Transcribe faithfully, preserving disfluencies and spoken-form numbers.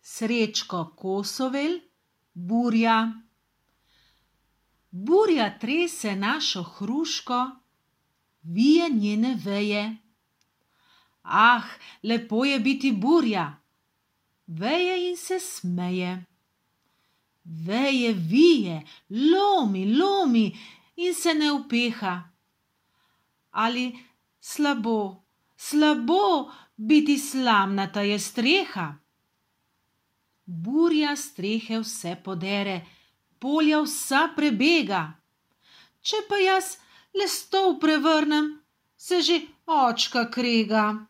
Srečko Kosovel, burja. Burja trese našo hruško, vije njene veje. Ah, lepo je biti burja, veje in se smeje. Veje vije, lomi, lomi in se ne upeha. Ali slabo, slabo biti slamnata je streha. Burja strehe vse podere, polja vsa prebega. Če pa jaz le stol prevrnem, se že očka krega.